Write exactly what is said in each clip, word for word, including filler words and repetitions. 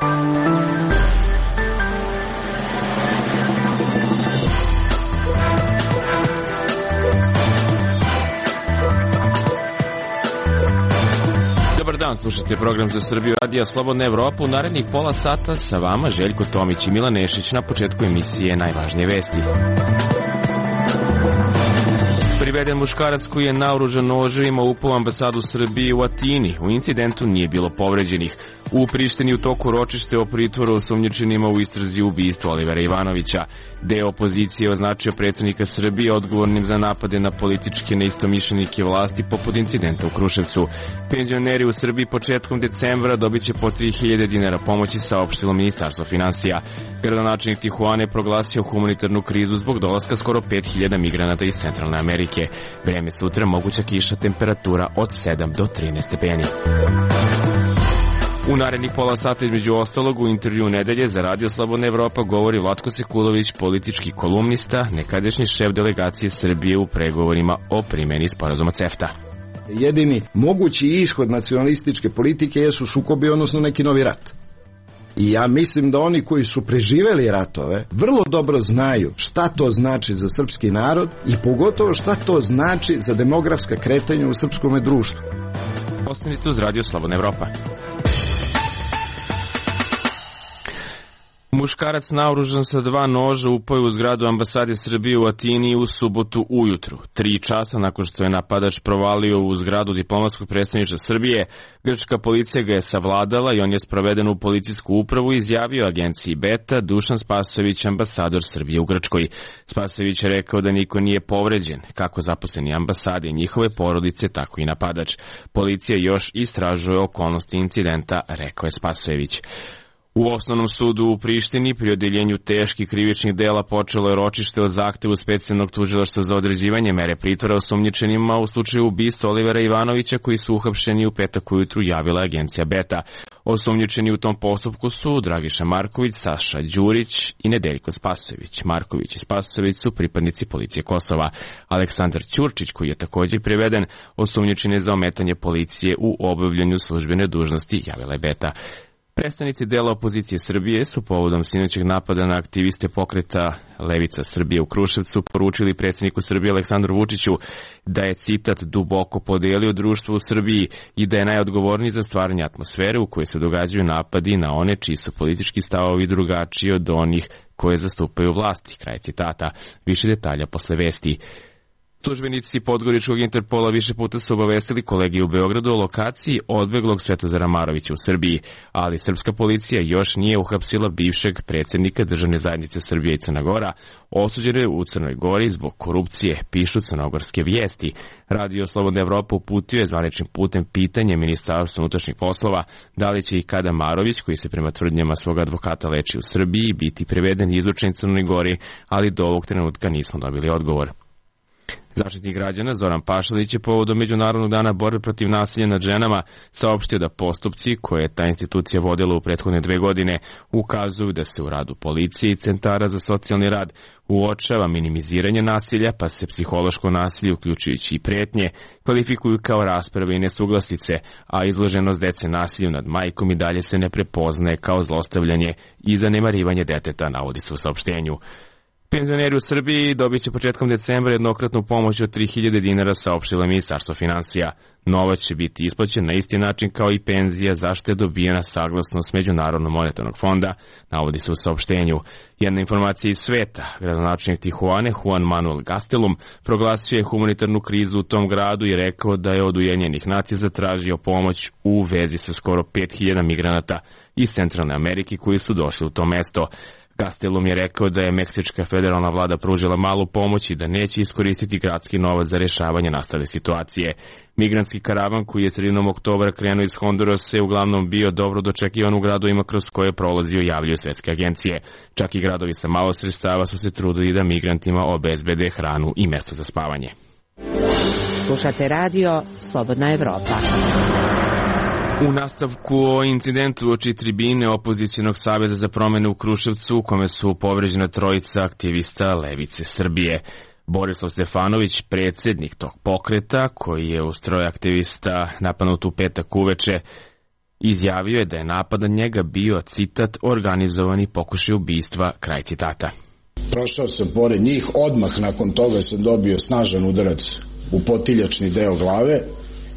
Dobar dan, slušajte program za Srbiju Radija Slobodna Evropa. U narednih pola sata sa vama Željko Tomić i Milan Nešić. Na početku emisije najvažnije vesti. Priveden muškarac koji je naoružan noževima upao u ambasadu Srbije u Atini. U incidentu nije bilo povređenih. U Prištini u toku ročište o pritvoru osumnjičenima u istrazi ubistva Olivera Ivanovića. Deo opozicije označio predsjednika Srbije odgovornim za napade na političke neistomišljenike vlasti poput incidenta u Kruševcu. Penzioneri u Srbiji početkom decembra dobit će po tri hiljade dinara pomoći, saopštilo Ministarstvo finansija. Gradonačelnik Tijuane proglasio humanitarnu krizu zbog dolaska skoro pet hiljada migranata iz Centralne Amerike. Vreme sutra, moguća kiša, temperatura od sedam do trinaest stepeni. U narednih pola sata između ostalog u intervju nedelje za Radio Slobodna Evropa govori Vlatko Sekulović, politički kolumnista, nekadašnji šef delegacije Srbije u pregovorima o primjeni sporazuma CEFTA. Jedini mogući ishod nacionalističke politike jesu sukobi, odnosno neki novi rat. I ja mislim da oni koji su preživeli ratove vrlo dobro znaju šta to znači za srpski narod i pogotovo šta to znači za demografska kretanja u srpskom društvu. Ostanite uz Radio Slobodna Evropa. Muškarac naoružan sa dva noža upao je u zgradu ambasade Srbije u Atini u subotu ujutru. Tri časa nakon što je napadač provalio u zgradu diplomatskog predstavništva Srbije, grčka policija ga je savladala i on je sproveden u policijsku upravu, izjavio agenciji Beta Dušan Spasojević, ambasador Srbije u Grčkoj. Spasojević je rekao da niko nije povređen, kako zaposleni ambasade i njihove porodice, tako i napadač. Policija još istražuje okolnosti incidenta, rekao je Spasojević. U osnovnom sudu u Prištini pri odeljenju teških krivičnih dela počelo je ročište o zahtevu specijalnog tužilaštva za određivanje mere pritvora osumnjičenima u slučaju ubistva Olivera Ivanovića, koji su uhapšeni u petak ujutru, javila agencija Beta. Osumnjičeni u tom postupku su Dragiša Marković, Saša Đurić i Nedeljko Spasojević. Marković i Spasojević su pripadnici policije Kosova. Aleksandar Ćurčić, koji je također priveden, osumnjičen je za ometanje policije u obavljanju službene dužnosti, javila je Beta. Predstavnici dela opozicije Srbije su povodom sinoćeg napada na aktiviste pokreta Levica Srbije u Kruševcu poručili predsjedniku Srbije Aleksandru Vučiću da je, citat, duboko podelio društvo u Srbiji i da je najodgovorniji za stvaranje atmosfere u kojoj se događaju napadi na one čiji su politički stavovi drugačiji od onih koje zastupaju vlasti. Kraj citata. Više detalja posle vesti. Službenici Podgoričkog Interpola više puta su obavestili kolegi u Beogradu o lokaciji odbeglog Svetozara Marovića u Srbiji, ali srpska policija još nije uhapsila bivšeg predsjednika Državne zajednice Srbije i Crna Gora, osuđen je u Crnoj Gori zbog korupcije, pišu crnogorske vijesti. Radio Slobodna Evropa uputio je zvaničnim putem pitanje Ministarstva unutrašnjih poslova da li će i kada Marović, koji se prema tvrdnjama svog advokata leči u Srbiji, biti priveden i izručen Crnoj Gori, ali do ovog trenutka nismo dobili odgovor. Zaštitnik građana Zoran Pašalić je povodom Međunarodnog dana borbe protiv nasilja nad ženama saopštio da postupci koje je ta institucija vodila u prethodne dve godine ukazuju da se u radu policije i centara za socijalni rad uočava minimiziranje nasilja, pa se psihološko nasilje, uključujući i pretnje, kvalifikuju kao rasprave i nesuglasice, a izloženost dece nasilju nad majkom i dalje se ne prepoznaje kao zlostavljanje i zanemarivanje deteta, navodi se u saopštenju. Penzioneri u Srbiji dobit će početkom decembra jednokratnu pomoć od tri hiljade dinara, saopštilo Ministarstvo finansija. Novac će biti isplaćen na isti način kao i penzija, za što je dobijena saglasnost Međunarodnog monetarnog fonda, navodi se u saopštenju. Jedna informacija iz sveta. Gradonačelnik Tijuane Juan Manuel Gastelum proglasio je humanitarnu krizu u tom gradu i rekao da je od Ujedinjenih nacija zatražio pomoć u vezi sa skoro pet hiljada migranata iz Centralne Amerike koji su došli u to mesto. Gastelum je rekao da je meksička federalna vlada pružila malu pomoć i da neće iskoristiti gradski novac za rješavanje nastale situacije. Migrantski karavan koji je sredinom oktobra krenuo iz Hondurasa je uglavnom bio dobro dočekivan u gradovima kroz koje je prolazio, javljaju svetske agencije. Čak i gradovi sa malo sredstava su se trudili da migrantima obezbede hranu i mjesto za spavanje. Slušate radio Slobodna Evropa. U nastavku o incidentu oči tribine opozicionog saveza za promjene u Kruševcu, u kome su povređena trojica aktivista Levice Srbije. Borislav Stefanović, predsjednik tog pokreta, koji je u stroj aktivista napadnut u petak uveče, Izjavio je da je napad na njega bio, citat, organizovani pokušaj ubistva, kraj citata. Prošao sam pored njih, odmah nakon toga sam dobio snažan udarac u potiljačni deo glave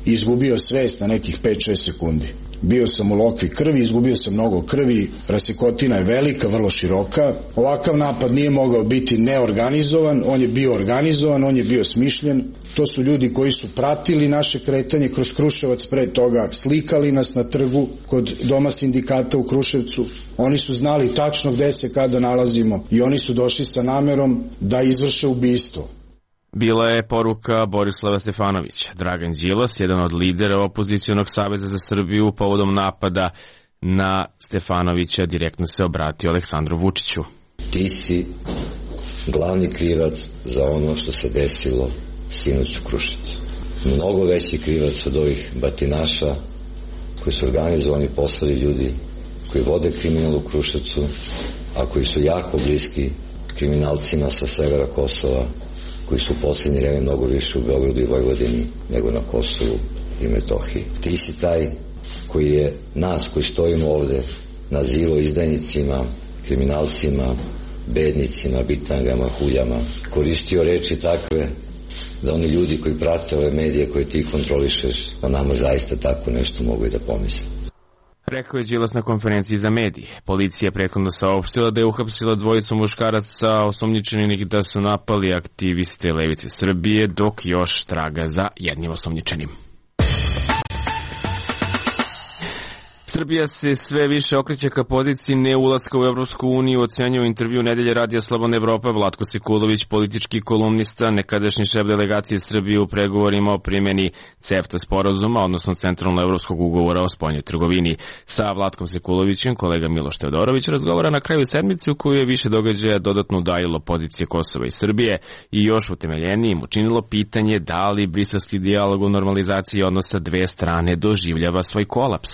i izgubio svest na nekih pet šest sekundi. Bio sam u lokvi krvi, izgubio sam mnogo krvi, rasekotina je velika, vrlo široka. Ovakav napad nije mogao biti neorganizovan, on je bio organizovan, on je bio smišljen. To su ljudi koji su pratili naše kretanje kroz Kruševac pre toga, slikali nas na trgu kod Doma sindikata u Kruševcu. Oni su znali tačno gde se kada nalazimo i oni su došli sa namerom da izvrše ubistvo. Bila je poruka Borislava Stefanovića. Dragan Đilas, jedan od lidera opozicionog saveza za Srbiju, povodom napada na Stefanovića, direktno se obratio Aleksandru Vučiću. Ti si glavni krivac za ono što se desilo sinoć u Kruševcu. Mnogo veći krivac od ovih batinaša koji su organizovani poslovi ljudi koji vode kriminal u Kruševcu, a koji su jako bliski kriminalcima sa severa Kosova, koji su u posljednje vreme mnogo više u Beogradu i Vojvodini nego na Kosovu i Metohiji. Ti si taj koji je nas koji stojimo ovde nazivao izdajnicima, kriminalcima, bednicima, bitangama, huljama. Koristio reči takve da oni ljudi koji prate ove medije koje ti kontrolišeš, o nama zaista tako nešto mogu i da pomisle. Rekao je Đilas na konferenciji za medije. Policija je prethodno saopštila da je uhapsila dvojicu muškaraca osumnjičenih da su napali aktiviste Levice Srbije, dok još traga za jednim osumnjičenim. Srbija se sve više okreće ka poziciji neulaska u Evropsku uniju, ocenjuje u intervju Nedelje radija Slobodna Evropa Vlatko Sekulović, politički kolumnista, nekadašnji šef delegacije Srbije u pregovorima o primjeni CEFTA sporazuma, odnosno Centralno-evropskog ugovora o spoljnoj trgovini. Sa Vlatkom Sekulovićem kolega Miloš Teodorović razgovara na kraju sedmice u kojoj je više događaja dodatno udajilo pozicije Kosova i Srbije i još utemeljenijim učinilo pitanje da li briselski dijalog o normalizaciji odnosa dve strane doživljava svoj kolaps.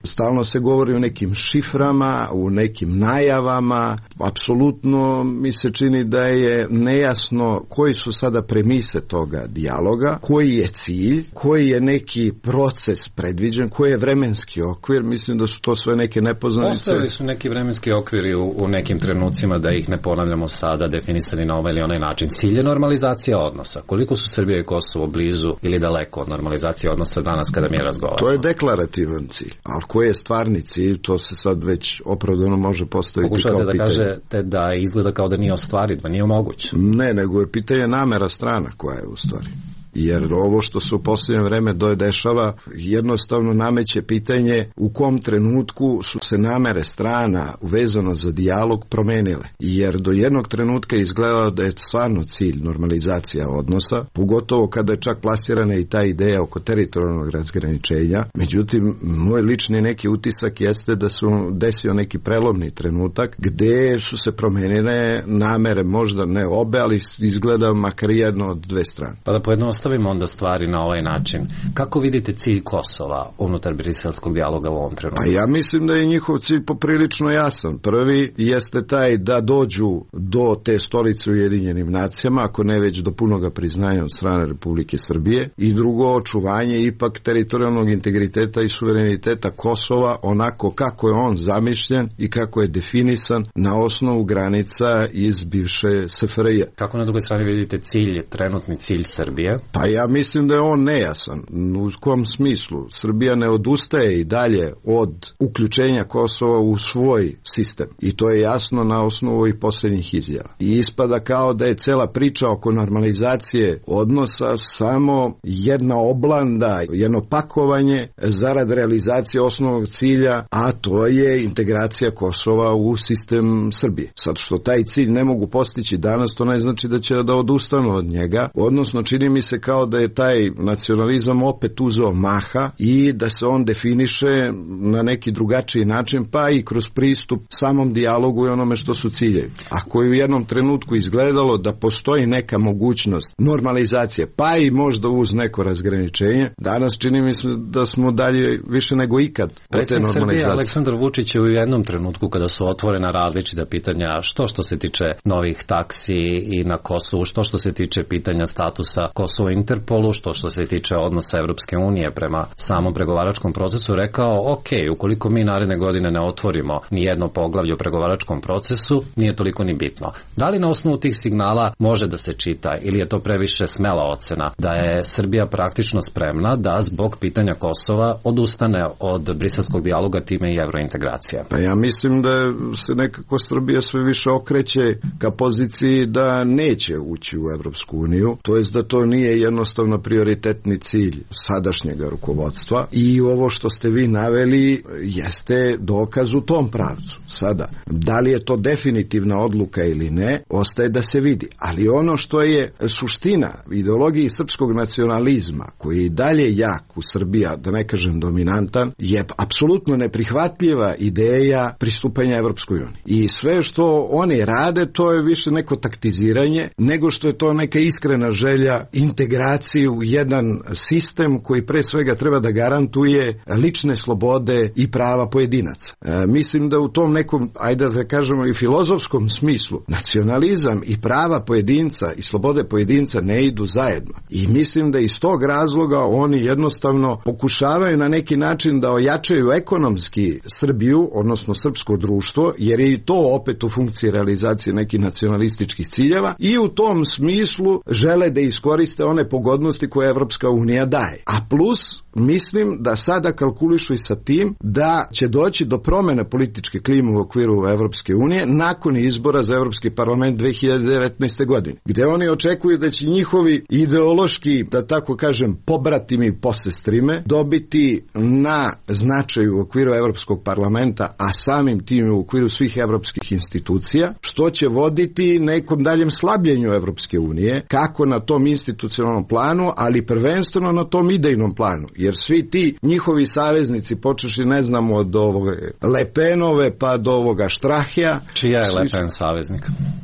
Stalno se govori o nekim šiframa, u nekim najavama. Apsolutno mi se čini da je nejasno koji su sada premise toga dijaloga, koji je cilj, koji je neki proces predviđen, koji je vremenski okvir. Mislim da su to sve neke nepoznanice. Postavili su neki vremenski okviri u, u nekim trenucima, da ih ne ponavljamo sada, definisani na ovaj ili onaj način. Cilj je normalizacija odnosa. Koliko su Srbija i Kosovo blizu ili daleko od normalizacije odnosa danas kada mi razgovaramo? To je deklarativan cilj. Ali koji je stvarni cilj, to se sad već opravdano može postaviti Pokušavate kao pitanje. Pokušavate da kažete da izgleda kao da nije ostvariv, da nije moguće. Ne, nego je pitanje namera strana koja je u stvari. Jer ovo što se u posljednje vreme dešava jednostavno nameće pitanje u kom trenutku su se namere strana vezano za dijalog promenile. Jer do jednog trenutka izgledalo da je stvarno cilj normalizacija odnosa, pogotovo kada je čak plasirana i ta ideja oko teritorijalnog razgraničenja. Međutim, moj lični neki utisak jeste da su desio neki prelomni trenutak gde su se promenile namere, možda ne obe, ali izgleda makar jedno od dve strane. Pa da pojednostavimo Stavimo onda stvari na ovaj način. Kako vidite cilj Kosova unutar briselskog dijaloga u ovom trenutku? Pa ja mislim da je njihov cilj poprilično jasan. Prvi jeste taj da dođu do te stolice u Ujedinjenim nacijama, ako ne već do punoga priznanja od strane Republike Srbije. I drugo, očuvanje ipak teritorijalnog integriteta i suvereniteta Kosova onako kako je on zamišljen i kako je definisan na osnovu granica iz bivše S F R J. Kako na drugoj strani vidite cilj, trenutni cilj Srbije? Pa ja mislim da je on nejasan. U kom smislu? Srbija ne odustaje i dalje od uključenja Kosova u svoj sistem. I to je jasno na osnovu ovih posljednjih izjava. I ispada kao da je cela priča oko normalizacije odnosa samo jedna oblanda, jedno pakovanje zarad realizacije osnovnog cilja, a to je integracija Kosova u sistem Srbije. Sad što taj cilj ne mogu postići danas, to ne znači da će da odustanu od njega, odnosno čini mi se kao da je taj nacionalizam opet uzeo maha i da se on definiše na neki drugačiji način, pa i kroz pristup samom dijalogu i onome što su ciljevi. Ako je u jednom trenutku izgledalo da postoji neka mogućnost normalizacije, pa i možda uz neko razgraničenje, danas čini mi se da smo dalje više nego ikad. Predsjednik Srbije Aleksandar Vučić je u jednom trenutku kada su otvorena različita pitanja, što što se tiče novih taksi i na Kosovu, što što se tiče pitanja statusa Kosova Interpolu, što što se tiče odnosa Evropske unije prema samom pregovaračkom procesu, rekao, ok, ukoliko mi naredne godine ne otvorimo ni jedno poglavlje u pregovaračkom procesu, nije toliko ni bitno. Da li na osnovu tih signala može da se čita ili je to previše smela ocena da je Srbija praktično spremna da zbog pitanja Kosova odustane od briselskog dijaloga, time i evrointegracija? Pa ja mislim da se nekako Srbija sve više okreće ka poziciji da neće ući u Evropsku uniju, to jest da to nije jednostavno prioritetni cilj sadašnjeg rukovodstva i ovo što ste vi naveli jeste dokaz u tom pravcu. Sada, da li je to definitivna odluka ili ne, ostaje da se vidi. Ali ono što je suština ideologiji srpskog nacionalizma, koji je i dalje jak u Srbiji, da ne kažem dominantan, je apsolutno neprihvatljiva ideja pristupanja Evropskoj uniji. I sve što oni rade, to je više neko taktiziranje, nego što je to neka iskrena želja integracije u jedan sistem koji pre svega treba da garantuje lične slobode i prava pojedinaca. E, mislim da u tom nekom, ajde da kažemo i filozofskom smislu, nacionalizam i prava pojedinca i slobode pojedinca ne idu zajedno. I mislim da iz tog razloga oni jednostavno pokušavaju na neki način da ojačaju ekonomski Srbiju, odnosno srpsko društvo, jer je i to opet u funkciji realizacije nekih nacionalističkih ciljeva i u tom smislu žele da iskoriste one pogodnosti koje Evropska unija daje. A plus, mislim da sada kalkulišu i sa tim da će doći do promene političke klime u okviru Evropske unije nakon izbora za Evropski parlament dve hiljade devetnaeste. godine, gde oni očekuju da će njihovi ideološki, da tako kažem, pobratimi posestrime dobiti na značaju u okviru Evropskog parlamenta, a samim tim u okviru svih evropskih institucija, što će voditi nekom daljem slabljenju Evropske unije, kako na tom institucionalnom planu, ali prvenstveno na tom idejnom planu, jer svi ti njihovi saveznici, počeši ne znamo od ovog Lepenove pa do ovoga Štrahija. Čija je Le Pen saveznik?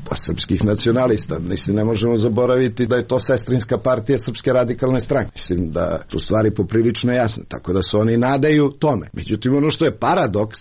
Pa srpskih nacionalista. Mislim, ne možemo zaboraviti da je to sestrinska partija Srpske radikalne stranke. Mislim da su stvari poprilično jasne, tako da se oni nadaju tome. Međutim, ono što je paradoks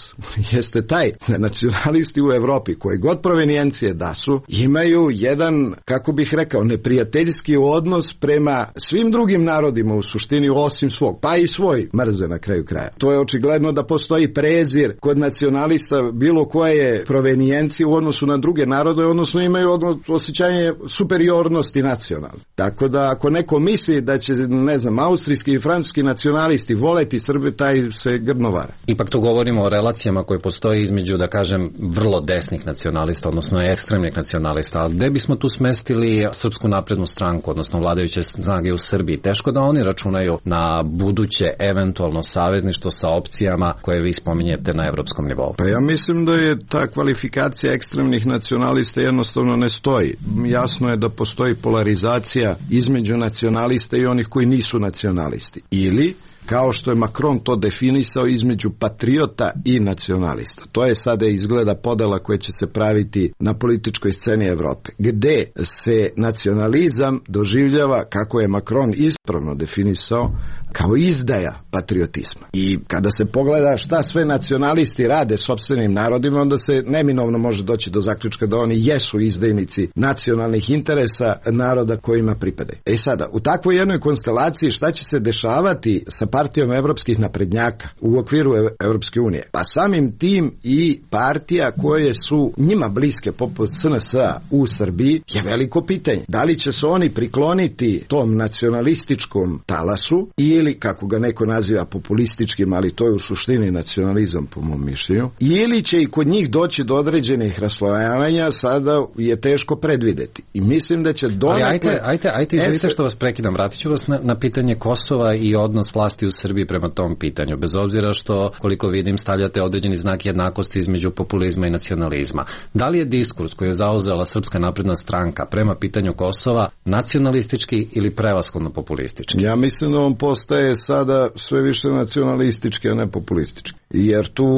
jeste taj da nacionalisti u Evropi, koje god provenijencije da su, imaju jedan, kako bih rekao, neprijateljski odnos prema svim drugim narodima u suštini osim svog, pa i svoj mrze na kraju kraja. To je očigledno da postoji prezir kod nacionalista bilo koje provenijencije u odnosu na druge narode, odnosno imaju osjećanje superiornosti nacionalne. Tako da ako neko misli da će, ne znam, austrijski i francuski nacionalisti voleti Srbe, taj se grdno vara. Ipak tu govorimo o relacijama koje postoje između, da kažem, vrlo desnih nacionalista, odnosno ekstremnih nacionalista. Ali gde bismo tu smestili Srpsku naprednu stranku, odnosno vladajuće snage u Srbiji? Teško da oni računaju na buduće eventualno savezništvo sa opcijama koje vi spominjete na evropskom nivou. Pa ja mislim da je ta kvalifikacija ekstremnih nacionalista jednostavno ne stoji. Jasno je da postoji polarizacija između nacionalista i onih koji nisu nacionalisti. Ili kao što je Macron to definisao, između patriota i nacionalista. To je sada izgleda podela koja će se praviti na političkoj sceni Evrope, gde se nacionalizam doživljava, kako je Macron ispravno definisao, kao izdaja patriotizma. I kada se pogleda šta sve nacionalisti rade sopstvenim narodima, onda se neminovno može doći do zaključka da oni jesu izdajnici nacionalnih interesa naroda kojima pripadaju. E sada, u takvoj jednoj konstelaciji šta će se dešavati sa partijom evropskih naprednjaka u okviru Evropske unije? Pa samim tim i partija koje su njima bliske, poput S N S-a u Srbiji, je veliko pitanje. Da li će se oni prikloniti tom nacionalističkom talasu ili, kako ga neko naziva, populističkim, ali to je u suštini nacionalizam po mom mišljenju, ili će i kod njih doći do određenih raslojavanja, sada je teško predvideti. I mislim da će donekle... Ali ajte, ajte, ajte izvolite što vas prekidam, vratit ću vas na, na pitanje Kosova i odnos vlasti u Srbiji prema tom pitanju, bez obzira što, koliko vidim, stavljate određeni znak jednakosti između populizma i nacionalizma. Da li je diskurs koji je zauzela Srpska napredna stranka prema pitanju Kosova nacionalistički ili prevashodno populistički? Ja mislim da on postaje sada sve više nacionalistički, a ne populistički. jer tu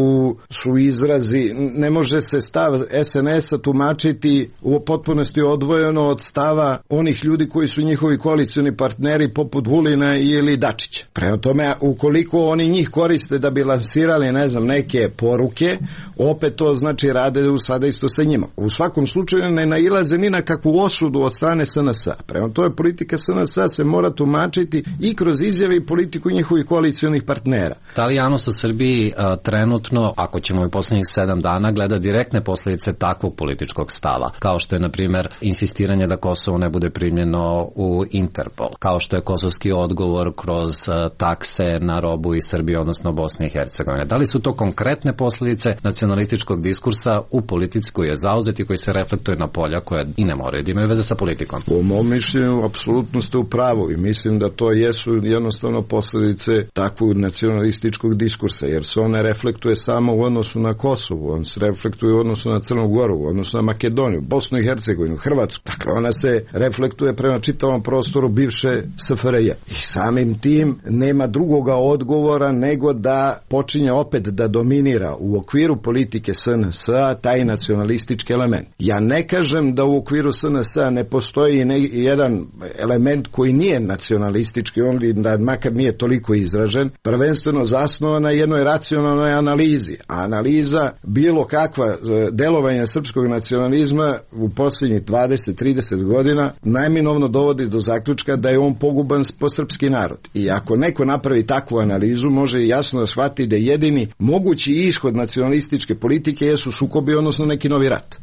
su izrazi, ne može se stav es en es a tumačiti u potpunosti odvojeno od stava onih ljudi koji su njihovi koalicioni partneri poput Vulina ili Dačića. Prema tome, ukoliko oni njih koriste da bi lansirali, ne znam, neke poruke, opet to znači rade u sada isto sa njima. U svakom slučaju ne nailaze ni na kakvu osudu od strane es en es a. Prema tome, politika es en es a se mora tumačiti i kroz izjave i politiku njihovih koalicijonih partnera. Da li javnost u Srbiji a, trenutno, ako ćemo i poslednjih sedam dana, gleda direktne posljedice takvog političkog stava, kao što je, na primjer, insistiranje da Kosovo ne bude primljeno u Interpol, kao što je kosovski odgovor kroz a, takse na robu iz Srbije, odnosno Bosne i Hercegovine. Da li su to konkretne posljedice nacionalističkog diskursa u politici koji je zauzet i koji se reflektuje na polja koja i ne moraju da imaju veze sa politikom? Po mom mišljenju, apsolutno ste u pravu i mislim da to jesu jednostavno posljedice takvog nacionalističkog diskursa, jer se on ne reflektuje samo u odnosu na Kosovo, on se reflektuje u odnosu na Crnu Goru, u odnosu na Makedoniju, Bosnu i Hercegovinu, Hrvatsku. Dakle, ona se reflektuje prema čitavom prostoru bivše es ef er je. I samim tim nema drugoga odgovora nego da počinje opet da dominira u okviru politike es en es a taj nacionalistički element. Ja ne kažem da u okviru es en es a ne postoji ne, jedan element koji nije nacionalistički, on da makar nije toliko izražen, prvenstveno zasnovan na jednoj racionalnoj analizi. A analiza bilo kakva delovanja srpskog nacionalizma u posljednjih dvadeset do trideset godina najminovno dovodi do zaključka da je on poguban po srpski narod. I ako neko napravi takvu analizu, može jasno da shvati da jedini mogući ishod nacionalističke politike jesu sukobi, odnosno neki novi rat.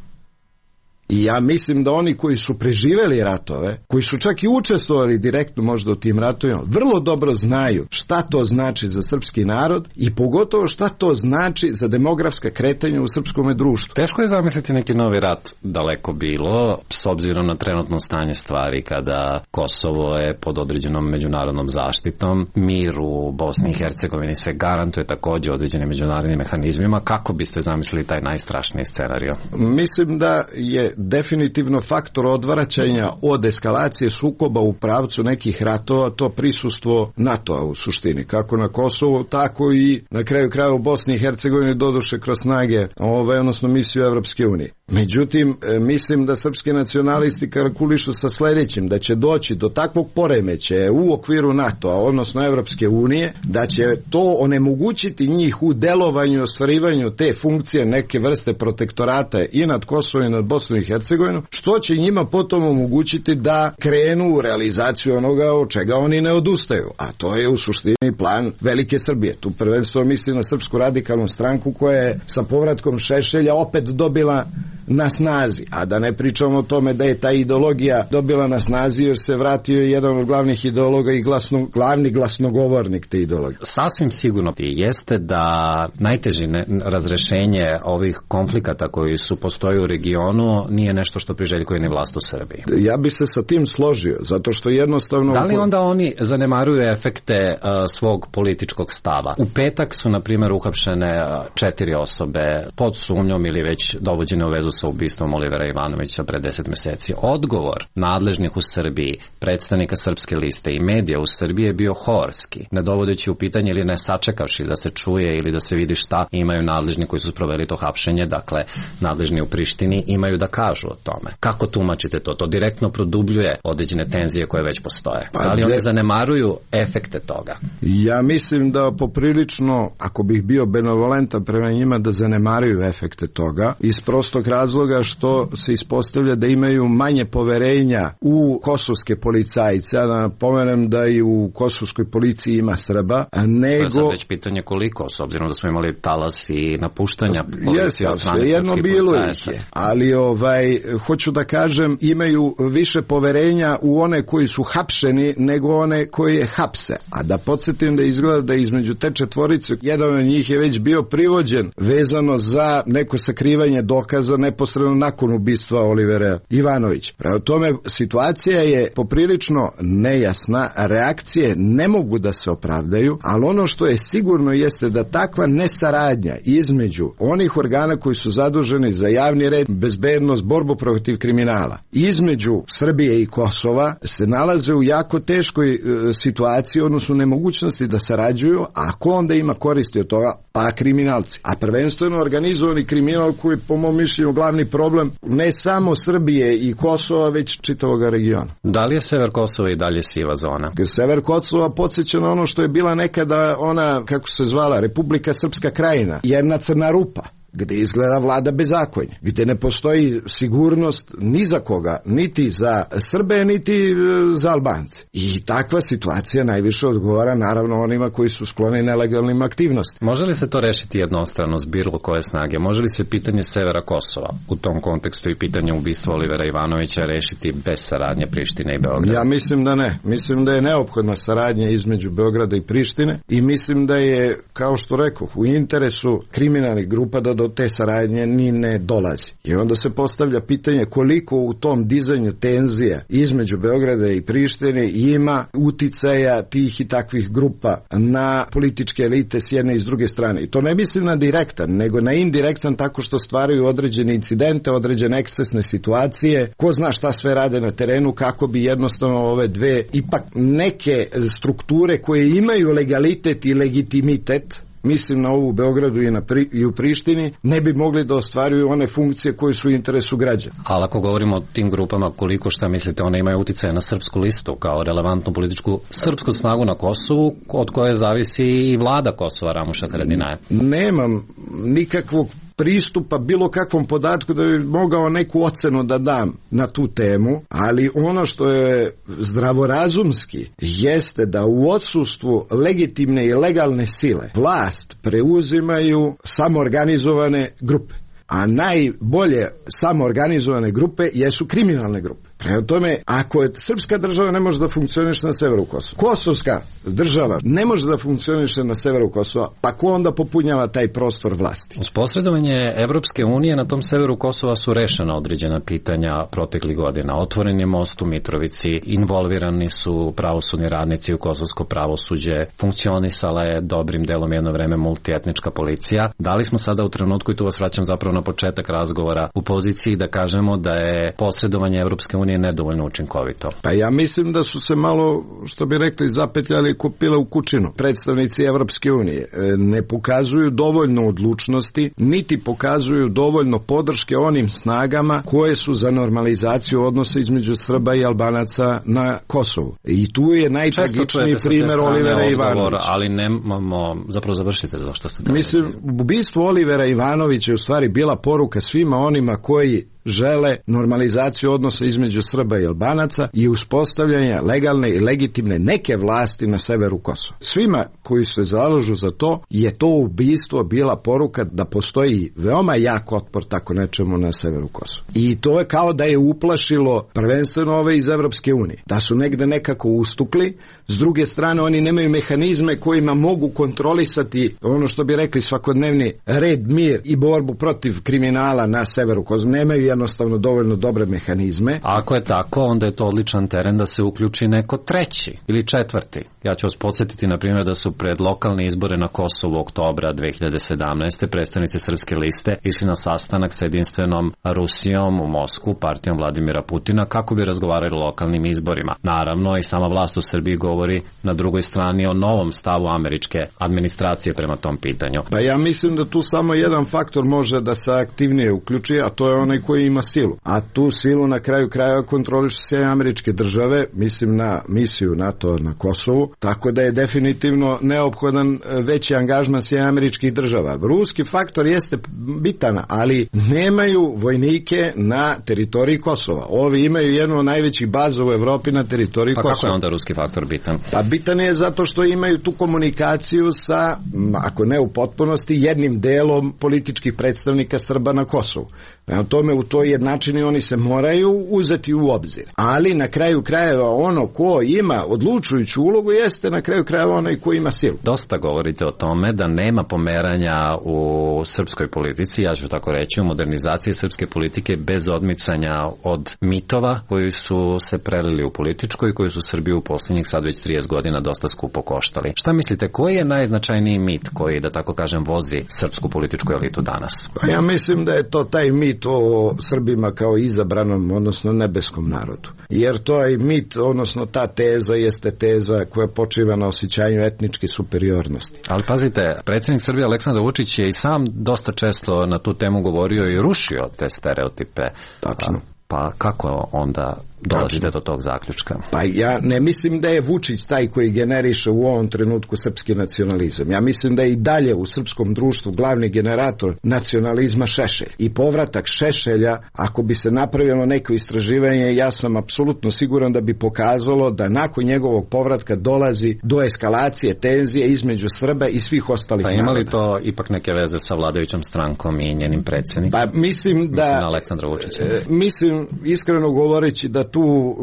I ja mislim da oni koji su preživeli ratove, koji su čak i učestvovali direktno možda u tim ratovima, vrlo dobro znaju šta to znači za srpski narod i pogotovo šta to znači za demografska kretanja u srpskom društvu. Teško je zamisliti neki novi rat, daleko bilo, s obzirom na trenutno stanje stvari kada Kosovo je pod određenom međunarodnom zaštitom, mir u Bosni i Hercegovini se garantuje takođe određenim međunarodnim mehanizmima. Kako biste zamislili taj najstrašniji scenario? Mislim da je definitivno faktor odvraćanja od eskalacije sukoba u pravcu nekih ratova to prisustvo NATO-a u suštini, kako na Kosovu, tako i na kraju kraja u Bosni i Hercegovini, doduše kroz snage, ovaj, odnosno misiju Evropske unije. Međutim, mislim da srpski nacionalisti kalkulišu sa sledećim, da će doći do takvog poremećaja u okviru NATO-a, odnosno Evropske unije, da će to onemogućiti njih u delovanju i ostvarivanju te funkcije neke vrste protektorata i nad Kosovom i nad Bosnom i Hercegovinu, što će njima potom omogućiti da krenu u realizaciju onoga od čega oni ne odustaju, a to je u suštini plan Velike Srbije. Tu prvenstveno mislim na Srpsku radikalnu stranku koja je sa povratkom Šešelja opet dobila na snazi, a da ne pričamo o tome da je ta ideologija dobila na snazi jer se vratio jedan od glavnih ideologa i glasno, glavni glasnogovornik te ideologije. Sasvim sigurno jeste da najteže razrešenje ovih konflikata koji su postoji u regionu nije nešto što priželjkuje ni vlast u Srbiji. Ja bi se sa tim složio, zato što jednostavno... Da li onda oni zanemaruju efekte uh, svog političkog stava? U petak su, na primjer, uhapšene četiri osobe pod sumnjom ili već dovođene u vezu sa ubistvom Olivera Ivanovića pre deset meseci. Odgovor nadležnih u Srbiji, predstavnika Srpske liste i medija u Srbiji je bio horski, ne dovodeći u pitanje ili ne sačekavši da se čuje ili da se vidi šta imaju nadležni koji su sproveli to hapšenje, dakle nadležni u Prištini imaju da kažu o tome. Kako tumačite to? To direktno produbljuje određene tenzije koje već postoje. Da li oni zanemaruju efekte toga? Ja mislim da poprilično, ako bih bio benevolentan prema njima, da zanemaruju efekte toga, iz prostog razloga što se ispostavlja da imaju manje poverenja u kosovske policajce, da napomenem da i u kosovskoj policiji ima Srba, nego... To je sad već pitanje koliko, s obzirom da smo imali talas i napuštanja policije od strane jedno srpskih bilo policajaca. Ih je, ali ovaj, hoću da kažem, imaju više poverenja u one koji su hapšeni nego one koji je hapse. A da podsjetim da izgleda da između te četvorice, jedan od njih je već bio privođen vezano za neko sakrivanje dokaza neposredno nakon ubistva Olivera Ivanovića. Prema tome, situacija je poprilično nejasna, reakcije ne mogu da se opravdaju, ali ono što je sigurno jeste da takva nesaradnja između onih organa koji su zaduženi za javni red, bezbednost, borbu protiv kriminala, između Srbije i Kosova se nalaze u jako teškoj e, situaciji, odnosno nemogućnosti da sarađuju, a ako onda ima koristi od toga, pa kriminalci. A prvenstveno organizovani kriminal koji je po mom mišljenju glavni problem ne samo Srbije i Kosova, već čitavog regiona. Da li je sever Kosova i dalje siva zona? Sever Kosova podsjeća na ono što je bila nekada ona, kako se zvala, Republika Srpska Krajina, jedna crna rupa, gde izgleda vlada bezakonje, gde ne postoji sigurnost ni za koga, niti za Srbe, niti za Albance. I takva situacija najviše odgovara naravno onima koji su skloni nelegalnim aktivnostima. Može li se to rešiti jednostrano s bilo koje snage? Može li se pitanje severa Kosova u tom kontekstu i pitanje ubistva Olivera Ivanovića rešiti bez saradnje Prištine i Beograda? Ja mislim da ne. Mislim da je neophodna saradnja između Beograda i Prištine i mislim da je, kao što rekoh, u interesu kriminalnih grupa da do te saradnje ni ne dolazi. I onda se postavlja pitanje koliko u tom dizanju tenzija između Beograda i Prištine ima uticaja tih i takvih grupa na političke elite s jedne i s druge strane. I to ne mislim na direktan, nego na indirektan, tako što stvaraju određene incidente, određene ekscesne situacije, ko zna šta sve rade na terenu, kako bi jednostavno ove dve ipak neke strukture koje imaju legalitet i legitimitet, mislim na ovu u Beogradu i, na pri, i u Prištini, ne bi mogli da ostvaruju one funkcije koje su u interesu građana. Ali ako govorimo o tim grupama, koliko šta mislite, one imaju uticaje na srpsku listu kao relevantnu političku srpsku snagu na Kosovu, od koje zavisi i vlada Kosova Ramuša Haradinaja? Nemam nikakvog pristupa bilo kakvom podatku da bi mogao neku ocenu da dam na tu temu, ali ono što je zdravorazumski jeste da u odsustvu legitimne i legalne sile vlast preuzimaju samoorganizovane grupe, a najbolje samoorganizovane grupe jesu kriminalne grupe. Prema tome, ako je srpska država ne može da funkcioniše na severu Kosova, kosovska država ne može da funkcioniše na severu Kosova, pa ko onda popunjava taj prostor vlasti? Uz posredovanje Evropske unije na tom severu Kosova su rešena određena pitanja proteklih godina. Otvoren je most u Mitrovici, involvirani su pravosudni radnici u kosovsko pravosuđe, funkcionisala je dobrim delom jedno vreme multietnička policija. Da li smo sada u trenutku, i tu vas vraćam zapravo na početak razgovora, u poziciji da kažemo da je posredovanje Evropske unije nije nedovoljno učinkovito? Pa ja mislim da su se malo, što bi rekli, zapetljali kupile u kućinu. Predstavnici Evropske unije ne pokazuju dovoljno odlučnosti, niti pokazuju dovoljno podrške onim snagama koje su za normalizaciju odnosa između Srba i Albanaca na Kosovu. I tu je najtragičniji primjer Olivera Ivanovića. Ali nemamo, zapravo završite to što ste tamo. Mislim, ubistvo Olivera Ivanovića je u stvari bila poruka svima onima koji žele normalizaciju odnosa između Srba i Albanaca i uspostavljanja legalne i legitimne neke vlasti na severu Kosova. Svima koji se zalažu za to je to ubistvo bila poruka da postoji veoma jak otpor tako nečemu na severu Kosova. I to je kao da je uplašilo prvenstveno ove iz Evropske unije. Da su negde nekako ustukli, s druge strane oni nemaju mehanizme kojima mogu kontrolisati ono što bi rekli svakodnevni red, mir i borbu protiv kriminala na severu Kosova. Nemaju jednostavno dovoljno dobre mehanizme. Ako je tako, onda je to odličan teren da se uključi neko treći ili četvrti. Ja ću vas podsjetiti, na primjer, da su pred lokalne izbore na Kosovu oktobra dve hiljade sedamnaeste. predstavnici Srpske liste išli na sastanak sa jedinstvenom Rusijom u Moskvu, partijom Vladimira Putina, kako bi razgovarali o lokalnim izborima. Naravno, i sama vlast u Srbiji govori na drugoj strani o novom stavu američke administracije prema tom pitanju. Pa ja mislim da tu samo jedan faktor može da se aktivnije uključi, a to je onaj koji ima silu. A tu silu na kraju krajeva kontroliše se američke države, mislim na misiju NATO na Kosovu, tako da je definitivno neophodan veći angažman sve američkih država. Ruski faktor jeste bitan, ali nemaju vojnike na teritoriji Kosova. Ovi imaju jednu od najvećih baza u Evropi na teritoriji pa Kosova. Pa kako je onda ruski faktor bitan? Pa bitan je zato što imaju tu komunikaciju sa, ako ne u potpunosti, jednim delom političkih predstavnika Srba na Kosovu. Prema tome, u toj jednačini oni se moraju uzeti u obzir. Ali na kraju krajeva ono ko ima odlučujuću ulogu jeste na kraju krajeva onaj ko ima silu. Dosta govorite o tome da nema pomeranja u srpskoj politici, ja ću tako reći, u modernizaciji srpske politike bez odmicanja od mitova koji su se prelili u političko i koji su Srbiju u posljednjih sad već trideset godina dosta skupo koštali. Šta mislite, koji je najznačajniji mit koji, da tako kažem, vozi srpsku političku elitu danas? Pa ja mislim da je to taj mit o Srbima kao izabranom, odnosno nebeskom narodu. Jer to je mit, odnosno ta teza jeste teza koja koja počiva na osjećanju etničke superiornosti. Ali pazite, predsjednik Srbije Aleksandar Vučić je i sam dosta često na tu temu govorio i rušio te stereotipe. Tačno. Pa kako onda dolazite do tog zaključka? Pa ja ne mislim da je Vučić taj koji generiše u ovom trenutku srpski nacionalizam. Ja mislim da je i dalje u srpskom društvu glavni generator nacionalizma Šešelj. I povratak Šešelja, ako bi se napravilo neko istraživanje, ja sam apsolutno siguran da bi pokazalo da nakon njegovog povratka dolazi do eskalacije tenzije između Srba i svih ostalih naroda. naroda. Pa ima li to ipak neke veze sa vladajućom strankom i njenim predsjednikom? Pa mislim da... Mislim na Aleksandra Vučića. E, mislim, iskreno govoreći, da tu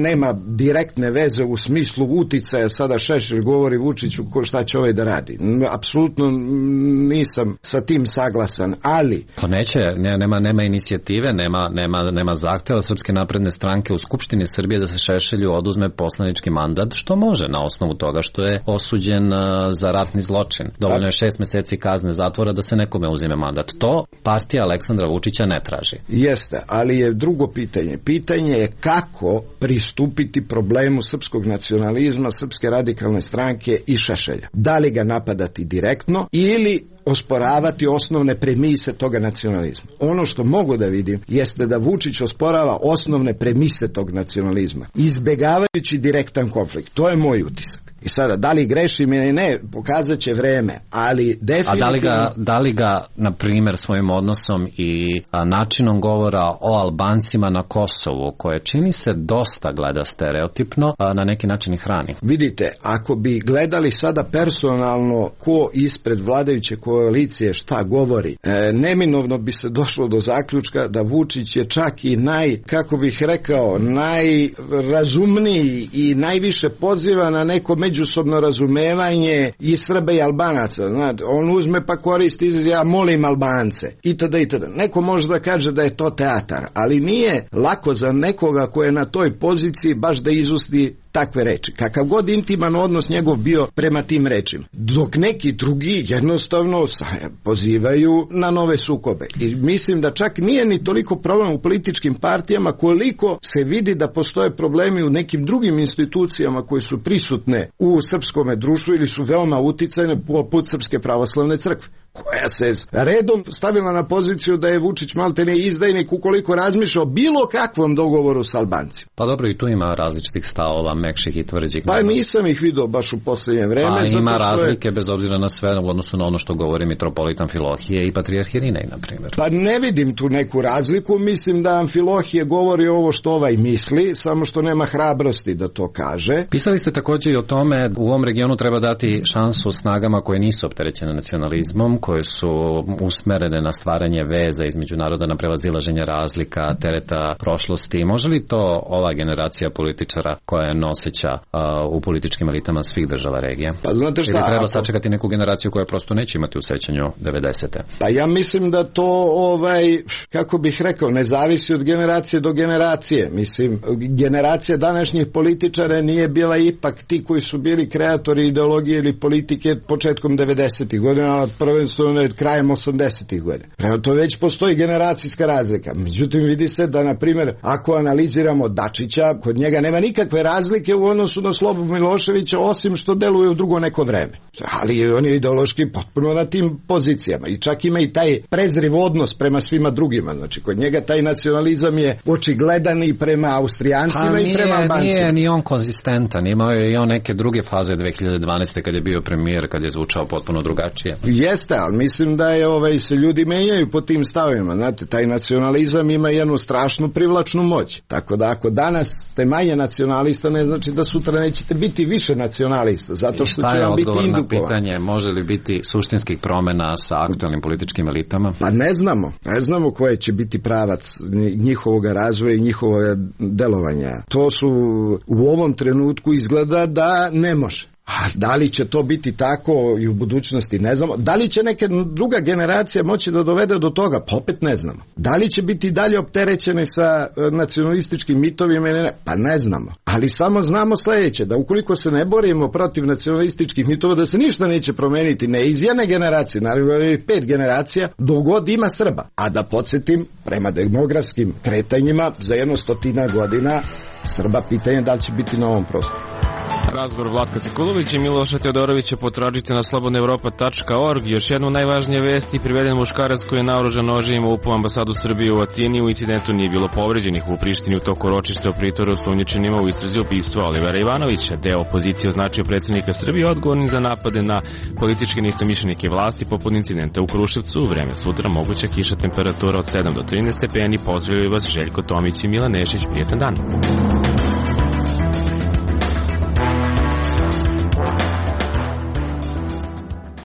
nema direktne veze u smislu uticaja. Sada Šešelj govori Vučiću ko šta će ovaj da radi. Apsolutno nisam sa tim saglasan, ali... Pa neće, ne, nema, nema inicijative, nema, nema, nema zahteva Srpske napredne stranke u Skupštini Srbije da se Šešelju oduzme poslanički mandat, što može na osnovu toga što je osuđen za ratni zločin. Dovoljno je šest meseci kazne zatvora da se nekome uzime mandat. To partija Aleksandra Vučića ne traži. Jeste, ali je drugo pitanje. Pitanje je kako pristupiti problemu srpskog nacionalizma, Srpske radikalne stranke i Šešelja. Da li ga napadati direktno ili osporavati osnovne premise toga nacionalizma. Ono što mogu da vidim jeste da Vučić osporava osnovne premise tog nacionalizma, izbegavajući direktan konflikt. To je moj utisak. I sada, da li grešim ili ne, pokazat će vreme, ali definitivno... A da li ga, da li ga na primjer, svojim odnosom i a, načinom govora o Albancima na Kosovu, koje čini se dosta gleda stereotipno, a, na neki način i hrani? Vidite, ako bi gledali sada personalno ko ispred vladajuće koalicije šta govori, e, neminovno bi se došlo do zaključka da Vučić je čak i naj, kako bih rekao, najrazumniji i najviše poziva na neko međusobno razumevanje i Srba i Albanaca. Znate, on uzme pa koristi izraz ja molim Albance itd. itd. Neko može da kaže da je to teatar, ali nije lako za nekoga ko je na toj poziciji baš da izusti takve reči. Kakav god intiman odnos njegov bio prema tim rečima. Dok neki drugi jednostavno pozivaju na nove sukobe. I mislim da čak nije ni toliko problem u političkim partijama koliko se vidi da postoje problemi u nekim drugim institucijama koje su prisutne u srpskome društvu ili su veoma uticajne poput Srpske pravoslavne crkve, koja se redom stavila na poziciju da je Vučić maltene izdajnik ukoliko razmišlja o bilo kakvom dogovoru s Albancima. Pa dobro, i tu ima različitih stavova, mekših i tvrđih. Pa nisam ih vidio baš u posljednje vreme. Pa ima razlike je... bez obzira na sve u odnosu na ono što govori mitropolitan Amfilohije i patrijarh Irinej, na primjer. Pa ne vidim tu neku razliku, mislim da Amfilohije govori ovo što ovaj misli, samo što nema hrabrosti da to kaže. Pisali ste također i o tome, u ovom regionu treba dati šansu snagama koje nisu opterećene nacionalizmom, koje su usmerene na stvaranje veza između naroda, na prevazilaženje razlika, tereta prošlosti. Može li to ova generacija političara koja je noseća uh, u političkim elitama svih država regije? Pa znate šta? Ili treba ako... sačekati neku generaciju koja prosto neće imati u sećanju devedesete? Pa ja mislim da to, ovaj, kako bih rekao, ne zavisi od generacije do generacije. Mislim, generacija današnjih političara nije bila ipak ti koji su bili kreatori ideologije ili politike početkom devedesetih godina, prvenstveno krajem osamdesetih godina. Prema to već postoji generacijska razlika. Međutim, vidi se da, na primjer, ako analiziramo Dačića, kod njega nema nikakve razlike u odnosu na Slobu Miloševića, osim što deluje u drugo neko vreme. Ali on je ideološki potpuno na tim pozicijama i čak ima i taj prezriv odnos prema svima drugima. Znači, kod njega taj nacionalizam je očigledan i prema Austrijancima nije, i prema Albancima. Nije ni on konzistentan. Imao je i on neke druge faze dve hiljade dvanaeste kad je bio premijer, kad je zvučao potpuno drugačije. Jeste, ali mislim da je ovaj, se ljudi menjaju po tim stavima. Znate, taj nacionalizam ima jednu strašnu privlačnu moć. Tako da ako danas ste manje nacionalista, ne znači da sutra nećete biti više nacionalista, zato što će vam biti indukovan. Pitanje, može li biti suštinskih promjena sa aktualnim političkim elitama? Pa ne znamo. Ne znamo koje će biti pravac njihovog razvoja i njihovog delovanja. To su u ovom trenutku izgleda da ne može. A da li će to biti tako i u budućnosti, ne znamo. Da li će neka druga generacija moći da dovede do toga, pa opet ne znamo. Da li će biti dalje opterećeni sa nacionalističkim mitovima ili ne, pa ne znamo. Ali samo znamo sljedeće, da ukoliko se ne borimo protiv nacionalističkih mitova, da se ništa neće promeniti, ne iz jedne generacije, naravno pet generacija, dogod ima Srba. A da podsjetim, prema demografskim kretanjima, za jedno stotina godina Srba, pitanje da li će biti na ovom prostoru. Razgovor Vlatka Sekulovića i Miloša Teodorovića potražite na slobodna evropa tačka org. Još jednu najvažnije vesti, priveden muškarac koji je naoružan noževima upao ambasadu Srbije u Atini. U incidentu nije bilo povređenih. U Prištini u toku ročišta o pritoru osumnjičenima u istrazi ubistva Olivera Ivanovića. Deo opozicije označio predsjednika Srbije odgovornim za napade na političke neistomišljenike vlasti poput incidenta u Kruševcu. U vreme sutra moguća kiša, temperatura od sedam do trinaest stepeni. Pozdravljaju vas Željko Tomić i Milan Nešić. Prijetan dan.